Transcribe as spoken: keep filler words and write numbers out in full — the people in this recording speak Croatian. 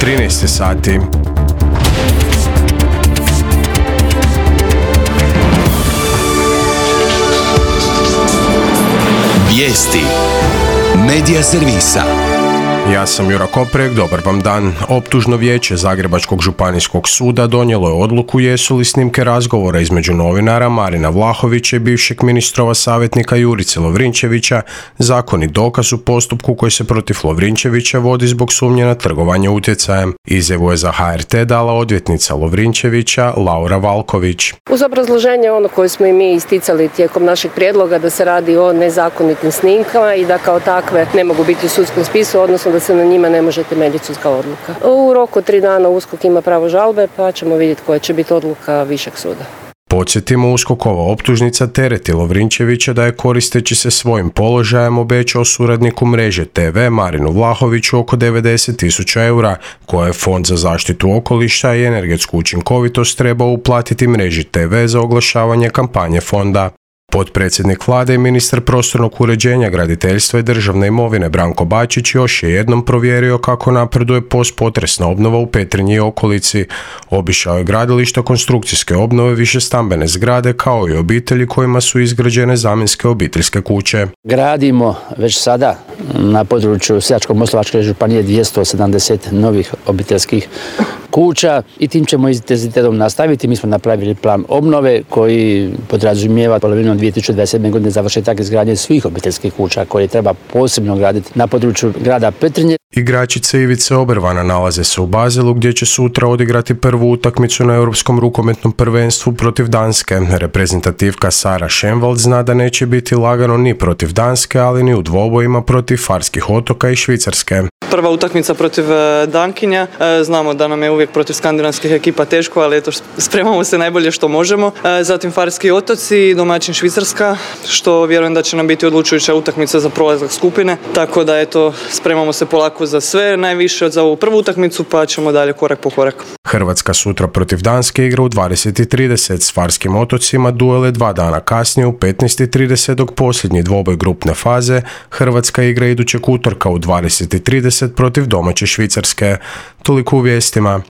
trinaest sati. Vijesti Medija servisa. Ja sam Jura Koprek, dobar vam dan. Optužno vijeće Zagrebačkog županijskog suda donijelo je odluku jesu li snimke razgovora između novinara Marina Vlahovića i bivšeg ministrova savjetnika Jurice Lovrinčevića zakonit dokaz u postupku koji se protiv Lovrinčevića vodi zbog sumnje na trgovanje utjecajem. Izjavu je za H R T dala odvjetnica Lovrinčevića Laura Valković. Uz obrazloženje ono koje smo i mi isticali tijekom našeg prijedloga da se radi o nezakonitim snimkama i da kao takve ne mogu biti u sudskom spisu, odnosno da se na njima ne može temeljiti sudska odluka. U roku tri dana U S K O K ima pravo žalbe, pa ćemo vidjeti koja će biti odluka višeg suda. Podsjetimo, U S K O K-ova optužnica tereti Lovrinčevića da je koristeći se svojim položajem obećao suradniku mreže T V Marinu Vlahoviću oko devedeset tisuća eura, koje je Fond za zaštitu okoliša i energetsku učinkovitost trebao uplatiti mreži T V za oglašavanje kampanje fonda. Potpredsjednik vlade i ministar prostornog uređenja, graditeljstva i državne imovine Branko Bačić još je jednom provjerio kako napreduje postpotresna obnova u Petrinji i okolici. Obišao je gradilišta konstrukcijske obnove višestambene zgrade kao i obitelji kojima su izgrađene zamjenske obiteljske kuće. Gradimo već sada na području Sisačko-moslavačke županije dvjesto sedamdeset novih obiteljskih kuća i tim ćemo intenzitetom nastaviti. Mi smo napravili plan obnove koji podrazumijeva polovinom dvije tisuće dvadeset sedme. godine završetak izgradnje svih obiteljskih kuća koje treba posebno graditi na području grada Petrinje. Igračice Ivice Obervana nalaze se u Baselu gdje će sutra odigrati prvu utakmicu na Europskom rukometnom prvenstvu protiv Danske. Reprezentativka Sara Šenvald zna da neće biti lagano ni protiv Danske, ali ni u dvobojima protiv Farskih otoka i Švicarske. Prva utakmica protiv Dankinja. Znamo da nam je uvijek protiv skandinavskih ekipa teško, ali eto, spremamo se najbolje što možemo. Zatim Farski otoci, domaćin Švicarska, što vjerujem da će nam biti odlučujuća utakmica za prolazak skupine. Tako da eto, spremamo se polako za sve, najviše za ovu prvu utakmicu, pa ćemo dalje korak po korak. Hrvatska sutra protiv Danske igra u dvadeset i trideset s Farskim otocima, duele dva dana kasnije u petnaest i trideset, dok posljednji dvoboj grupne faze Hrvatska igra idućeg utorka u dvadeset i trideset protiv domaće Švicarske. Toliko u vijestima.